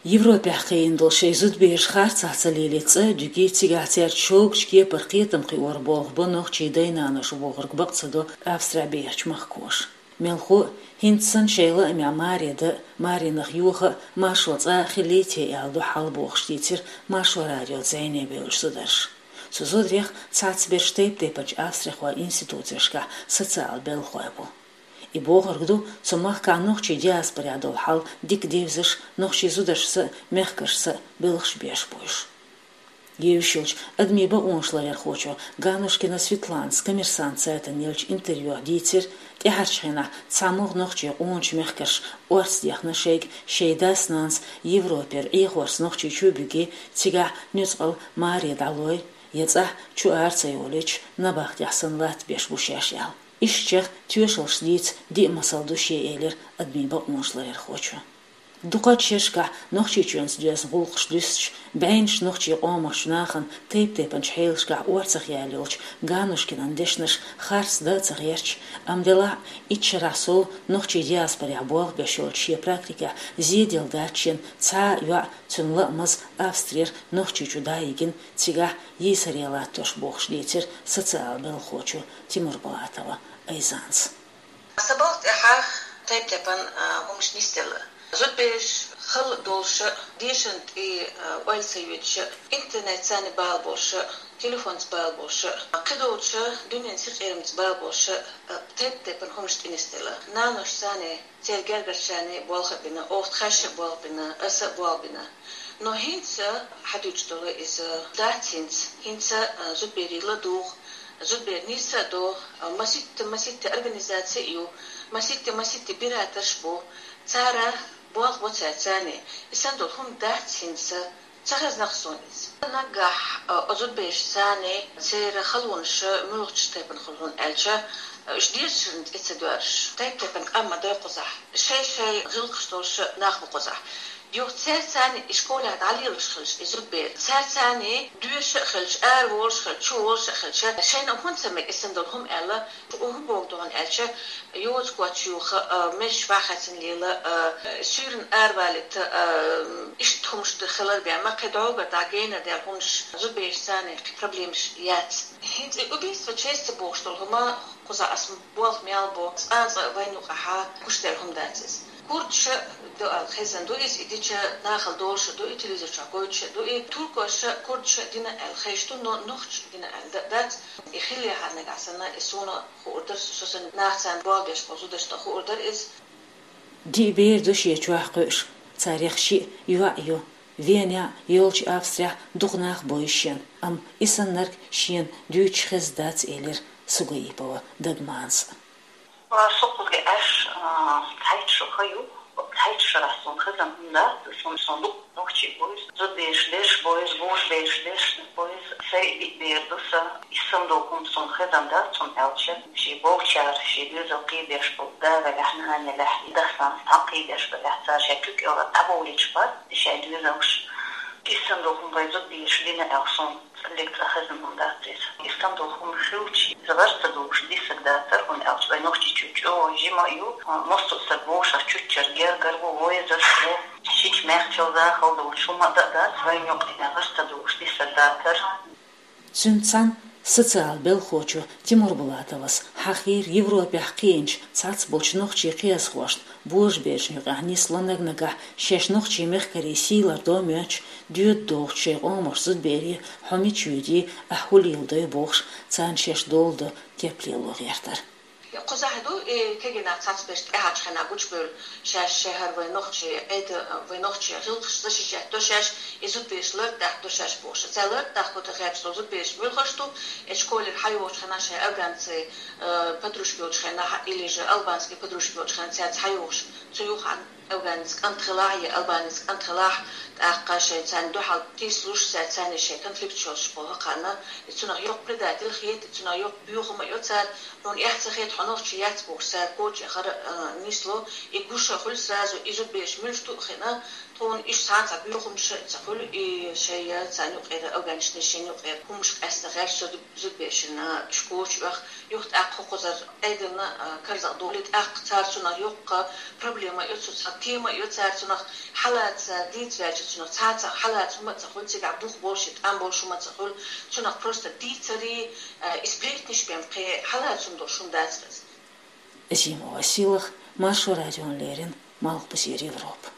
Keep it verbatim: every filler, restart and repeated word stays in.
Европехь кхиъна долу шайн зудабераш харцахь ца лелийта цӀа а, дуьгий, цигахь цаьрца шогачу кепара кхетам кхиоран болх бо нохчийн дай-наноша бохург бакъ ца до Австрехь бехачу махкаша. Мелхо а, хӀинца санна шайн лаамехь маре дан а, маренах йоха а маршо цкъа а хилийта аьлла ду хьал бохуш дийцира Маршо радион зӀене бевллачу зударша. Цу зударех цхьацца берш тайп-тайпанчу австрихойн институцешкахь социал белхалой бу. И бохург ду, цу махкахь нохчийн диаспорехь долу хьал дика девзаш, нохчийн зударшца а, мехкашца а белхаш беш бу уьш. Евзаш йолчу адамийн бакъонаш ларъярхочо Ганушкина Светланас Коммерсант сайтана еллачу интервьюхь дийцира, тӀаьхьарчу хенахь цхьа могӀа нохчийн къоначу мехкаша орца дехна шайга, шайн дас-нанас Европера Ӏехорца Нохчийчу а буьгий, цигахь нуьцкъала маре дӀалой, я цӀахь чу ара ца йолуьйтуш, набахтехь санна латтабеш бу шаьш аьлла. Ишттачех тоьшаллаш дийца диъ масал ду шен, элира адамийн бакъонаш ларъярхочо. Дукхачу шерашкахь Нохчийчоьнца доьзна гӀуллакхаш дуьстича, бӀеннаш нохчийн къомах нахана тайп-тайпанчу хьелашкахь орцах яьлла йолчу Ганушкинан дешнаш харц дан а ца гӀерташ, амма делахь а итт шарахь сов нохчийн диаспорехь болх беш йолчу шен практикехь зеделла дац шена цхьа а йоӀ, цуьнан лаамаза Австрера Нохчийчу дӀайигна, цигахь йийсаре латтош, бохуш дийцира социал белхалочо Тимурбулатова Айзанас. Сан балха тӀехь тайп-тайпана, а, хӀуманаш нисделла. Зудабераш хала долуш а, дешарна тӀе, а, ойла ца йойтуш а, интернетца бала болуш а, телефонца бала болуш а, кхидолчу дуьненан синкъерамца бала болуш а, тайп-тайпана хӀуманаш тӀе нисделла. Наношца, церан гергарчарна болх а бина, оха тхаьш а болх бина, аса а болх бина. Но хӀинца хьадуьйцуш долу иза дац хӀинца. ХӀинца, а, зудаберийн ладугӀу, зудабер нийса а до, а, маситта-маситта организаци а ю, маситта-маситта биратарш а бу, цара болх бо цаьрца. И санна долу хӀума дац хӀинца, ца хезнакх суна иза. Наггахь, а, оцу зудаберашца, церан халонаш муьлхачу тайпана хуьлу хьуна аьлча, а, уьш дешарна тӀе ца доьрзуш, тайп-тайпана къам ма дай кхузахь. Шай-шай гӀиллакхаш долуш нах бу кхузахь. Юха цаьрца и школехь дӀалелош хилча и зудабер, цаьрца доьшуш а хилча, ара волуш а хилча, чу волуш а хилча, шайна хӀунда ца мега и санна долу хӀума аьлла, хӀун боху ду хьуна аьлча, йоза коч юха, а, межаш вахьа хецна лела, а, суьйранна ара валийта, а, иштта хӀумнаш ду хилар бен, ма кхин дӀогара дӀа генара дер хӀумнаш, зудаберашца кхин проблемаш яц. ХӀинца и убийство чести бохуш долу хӀума кхузахь аса болх мел бо, цкъа-цкъа вайна юкъахь гуш дер хӀума дац иза. Курдаша ду аьлла хезна ду иза, и дича нахала долуш а ду, и телевизор чохь гойтуш а ду, и туркоша курдаша дина аьлла хезаш ду, но нохчаша дина аьлла дац. И хиллехьара нагахь санна, и суна хуур дара, со санна нахаца болх беш болу зударшна хуур дара иза. Диъ бер ду шен чохь кхуьуш, царех шиъ йоӀ ю. Венехь а, йолчу Австрехь а дукха нах бойу шена, амма и саннарг шена дуьйцуш хезна дац, элира Сугаипова Дагманас. Со кхузахь аьлча, а, цхьайтта шо хан ю, цхьайтта шарахь суна хезна хӀума дац, суна, суна дукха нохчий бойу, зудабераш дерш бойу, вовшахбераш дерш бойу, сайн диъ бер ду сан. И санна долу хӀума суна хезна дац, хӀунда аьлча шен болчара, шен доьзал кхийдеш болу да велахь, нана елахь, дас-нанас цхьаьна кхийдеш белахь, цара шайн куьг кӀелара дӀабовлуьйтуш бац шайн доьзалш. И санна долу хӀума вайн зудабераш дина аьлла суна цкъа а хезна хӀума дац иза. И санна долу хӀума хилча, иза гӀар ца долуш дисарг дацара, хӀунда аьлча вайн Нохчийчоь чӀогӀа жима а ю, массо а стаг вовшах чуьрчара гергара ву, войзаш ву, шича мехкачул захалла долуш хӀума а дан а дац, вайна юкъахь гӀар ца долуш дисарг дацара. Цуьнца цхьаьна социал белхалочо Тимурбулатовас хьахийра Европехь кхиъначу цхьацца болчу нохчийн кхиазхошна, божаберашна юкъахь нисло наг-нагахь шаьш нохчийн мехкарий сий лардо а моьттуш, доьда догӀучу шайн къомах зудабере хьо мича воьдий, ахь хӀун леладой бохуш, царна шаьш долу дан кеп лело гӀертар. Кхузахь ду и кегий нах цхьацца берш тӀаьхьарчу хенахь гучубевлла, шаьш шайн хӀара вайн нохчийн Ӏеда, вайн нохчийн гӀиллакхаш защищать до шаьш, и зудабераш лард дахьа до шаьш бохуш. Цара лард дахьа ду тхан хаьрча долу зудабераш муьлхаш ду, и школера хьайогӀучу хенахь шайн афганций, э, подружка йолчу хенахь, или же албанский подружка йолчу хенахь цаьрца хьайогӀуш, цу юххехь афганец кӀант хилахь я албанец кӀант хилахь, тӀаккха шайн царна дуьхьал тийсалуш, цаьрца шайн конфликт йолуш боху кхарна, и цунах йоккха предатель хета, и цунах йоккха боьха хӀума а йо цара, хьуна эхь ца хета, хьо нохчи яц бохуш, цара коча яхар, э, нисло, и гуш а хуьлу сразу, и зудабераш муьлш ду а хиъна, Тхона иштта цхьа боьхамаш а ца хуьлу, и шайн царна юкъера, афганцашна шайна юкъера хӀумаш къаьстина гӀерташ зуд-, зудаберашна уьш коча а оьху, юха тӀаккха хӀокхузара Ӏедална, а, карзах долий, тӀаккха цара цунах йоккха проблема а йо, цу цхьа тема а йо цара цунах, хьалаца дийца ваьлча цунах цхьацца хьалаца хӀума а ца хуьлу, цигахь бух болуш, тӀам болуш хӀума а ца хуьлу, цунах просто дийцаре, а, и сплетниш бен кхин хьалаца хӀума долуш хӀума дац хеза. Азимова Силах, Маршо радиона леррина, Малхбузера Европа.